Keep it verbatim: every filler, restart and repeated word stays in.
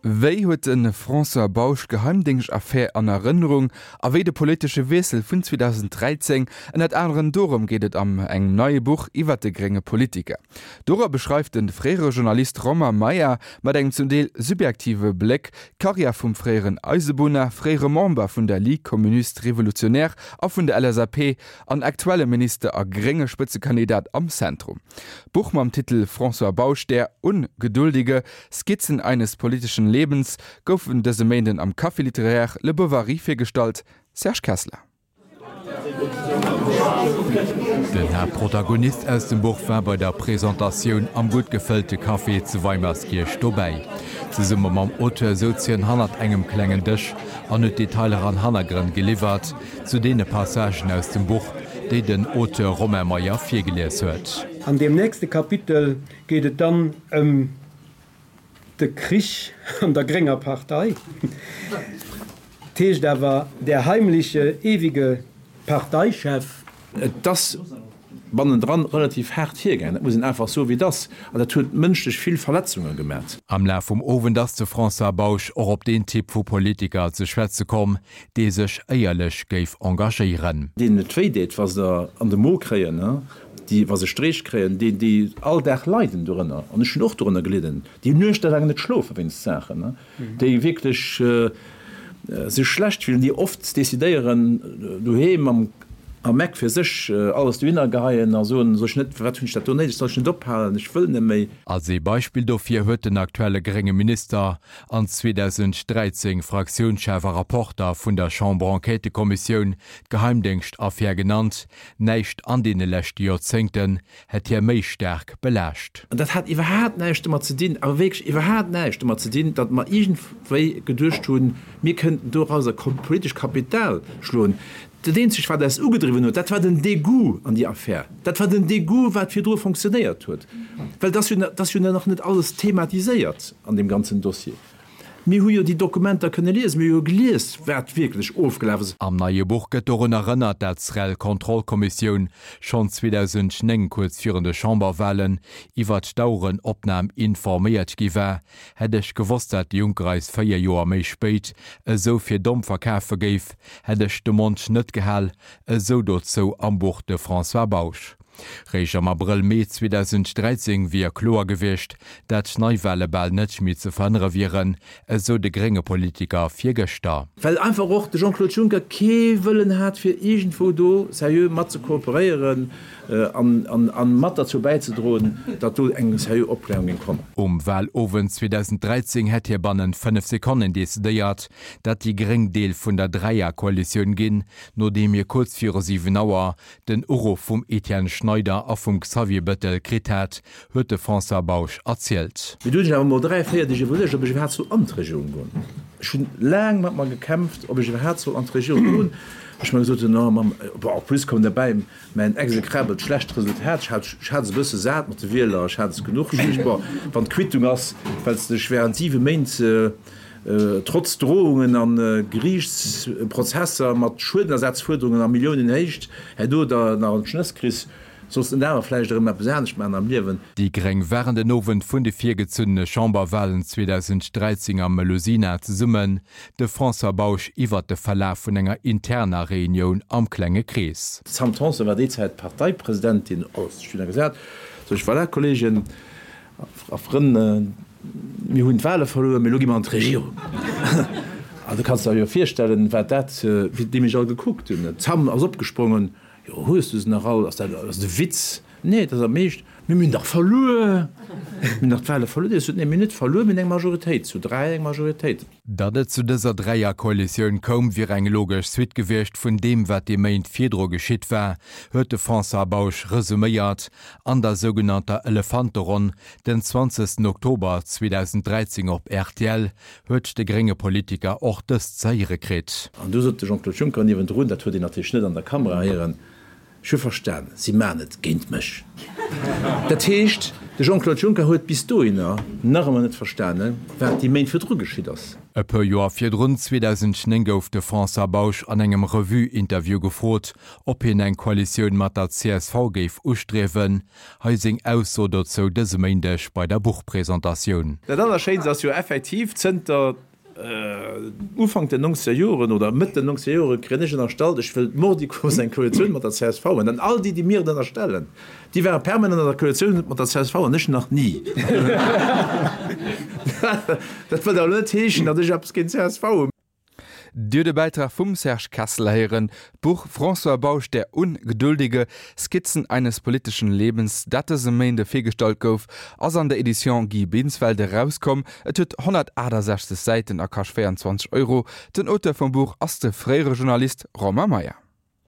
Wéi huet de François Bausch d'Geheimdéngschtaffär an Erënnerung a wéi de politesche Wiessel vun zweedausenddräizéng? Ënnert anerem dorëm geet et am engem neie Buch iwwer de grénge Politiker. Dora beschreift de fréiere Journalist Romain Meyer mat engem zum Deel subjektive Bléck d'Karriär vum fréieren Eisebunner, fréiere Member vun der Ligue communiste révolutionnaire a vun der L S A P an aktuelle Minister a grénge Spëtzekandidat am Zentrum. D'Buch mam Titel François Bausch, der Ungeduldige, Skizzen eines politischen Lebens goufen dëse Méinden am Café littéraire Le Bovary virgestallt. Serge Kessler. Den Haaptprotagonist aus dem Buch war bei der Presentatioun am gutt gefëllte Café zu Weimerskirch dobäi. Zesumme mam Auteur souz hien hannert engem klengen Dësch an huet Detailer an Hannergrënn geliwwert zu deene Passagen aus dem Buch, déi den Auteur Romain Meyer virgelies huet. An deem nächste Kapitel geet et dann ëm de Krich an der grénger Partei. Et heescht awer Der heimliche, ewige Parteichef. Et ass bannendran relativ haart virgaangen, dat muss een einfach soen, wéi et ass, an dat huet mënschlech vill Verletzunge gemat. Am Laf vum Owend ass de François Bausch och op deen Typ vu Politiker ze schwätze komm, dee sech éierlech géif engagéieren. Deenen et wéi deet, wa se an de Mo kréien, déi, wa se Streech kréien, déi, déi all Dag leiden dorënner, an ech hunn och dorënner gelidden, déi nuechtelaang net schlofe wéinst Saachen, déi wierklech sech schlecht fillen, déi oft decidéieren, doheem am am Eck fir sech alles dohinner geheien a soen, Soll ech net, firwat hunn ech dat do néideg, soll ech net ophalen, ech wëll net méi. Als ee Beispill dofir huet den aktuelle grénge Minister an zweedausend dräizéng Fraktiounschef a Rapporter vun der Chamber-Enquêtëkommissioun d'Geheimdéngschtaffär genannt. Näischt an deene leschte Joerzéngten hätt hie méi staark belaascht. An dat hat iwwerhaapt näischt domat ze dinn, awer wierklech iwwerhaapt näischt domat ze dinn, datt mer iergendwéi geduecht hunn, mir kënnten dorauser politesch Kapital schloen. Dat eenzegt, wat eis ugedriwwen huet, dat war den Degoût an déi Affär. Dat war den Degoût, wat virdru fonctionnéiert huet. Well et ass jo, et ass jo nach net alles thematiséiert an deem ganzen Dossier. Mir hu jo déi Dokumenter kënne liesen, mir hu jo gelies, wat wierklech ofgelaf ass. Am neie Buch gëtt dorun erënnert, dat d'SREL-Kontrollkommissioun schonn zweedausendnéng kuerz virun de Chamberwalen iwwert d'Auerenopnam informéiert gi war. Hätt ech gewosst, dat de Juncker eis véier Joer méi spéit esou fir domm verkafe géif, hätt ech de Mond net gehal, esou dozou am Buch de François Bausch. Réischt am Abrëll, Mee zweedausend dräizéng wier kloer gewiescht, dat Neiwale bal net méi ze verhënnere wieren, esou de grénge Politiker virgëschter. Well einfach och de Jean-Claude Juncker kee Wëllen hat, fir iergendwou do seriö mat ze kooperéieren a mat derzou bäizedroen, datt do eng seriö Opklärung géing kommen. Um Walowend zweedausend dräizéng hätt hie bannent fënnef Sekonnen decidéiert, dat déi Gréng Deel vun der Dräierkoalitioun ginn, nodeem hie kuerz viru siwen Auer den Uruff vum Etienne Schneider a vum Xavier Bettel kritt hat, huet de François Bausch erzielt. Mee du hunn ech awer mol dräi, véier Deeg iwwerluecht, ob ech iwwerhaapt soll an d'Regierung goen. Ech hunn laang mat mer gekämpft, ob ech iwwerhaapt soll an d'Regierung goen. Ech mer gesot hunn, oh Mamm, bon, en plus koum derbäi mäin exekrabelt schlecht Resultat. Ech hat, ech hat se e bësse sat mat de Wieler, ech hat es genuch. Ech duecht, bon, wann d'Quittung ass, well s dech während siwe Méint trotz Drohungen a Geriichtsprozesser mat Schuedenersatzfuerderungen a Milliounenhéicht herno der nach an d'Schnëss kriss, solls de awer vläicht erëm eppes anescht maachen am Liewen. Déi Gréng waren den Owend vun de virgezunnene Chamberwalen zweedausend dräizéng am Melusina zesummen. De François Bausch iwwert de Verlaf vun enger interner Reunioun am klenge Krees. D'Sam Tanson war déi Zäit Parteipresidentin, alles schön a gesat. Sot ech, Voilà, Kolleegen a Frënn, mir hunn d'Wale verluer, mee elo gi mer an d'Regierung. An du kanns der jo virstellen, wat dat, wéi déi mech all gekuckt hunn. D'Sam ass opgesprongen, Jo, hues du se nach all? Ass dat, ass dat e Witz? Nee, dat ass am Eescht. Mee mir hunn dach verluer! Mir hunn dach d'Wale verluer. Déi sot, Nee, mir hunn net verluer, mir hunn eng Majoritéit, zu dräi eng Majoritéit. Datt et zu dëser Dräierkoalitioun koum, wier eng logesch Suite gewiescht vun deem, wat déi Méint virdru geschitt war, huet de François Bausch resuméiert an der sougenannter Elefanteronn den zwanzegsten Oktober zweedausend dräizéng op R T L huet de grénge Politiker och dëst ze héiere kritt. An du sot de Jean-Claude Juncker niewendrun, dat huet een natierlech net an der Kamera héieren, Ech hu verstan, si maachen et géint mech. Dat heescht, De Jean-Claude Juncker huet bis dohinner nach ëmmer net verstanen, wat déi Méint virdru geschitt ass. E puer Joer virdrun, zweedausendnéng gouf de François Bausch an engem Revue-Interview gefrot, ob hien eng Koalitioun mat der C S V géif ustriewen. Hei seng Ausso dozou dëse Méindeg bei der Buchpresentatioun. Dat Allerschéinst ass jo effektiv, zënter Ufank den nongzeger Joren oder Mëtt den nongzeger Jore kréien ech ënnerstallt, ech wëll mordicus eng Koalitioun mat der C S V. An dann all déi, déi mir et ënnerstellen, déi ware permanent an der Koalitioun mat der C S V an ech nach ni. Dat wëllt awer net heeschen, datt ech eppes géint d'C S V hunn. Dir hutt e Bäitrag vum Serge Kessler héieren. D'Buch François Bausch, der Ungeduldige, Skizzen eines politischen Lebens, dat dëse Méinde virgestallt gouf, ass an der Edition Guy Binsfeld erauskomm. Et huet honnertaachtasechzeg Säiten a kascht véierundzwanzeg Euro. Den Auteur vum Buch ass de fréiere Journalist Romain Meyer.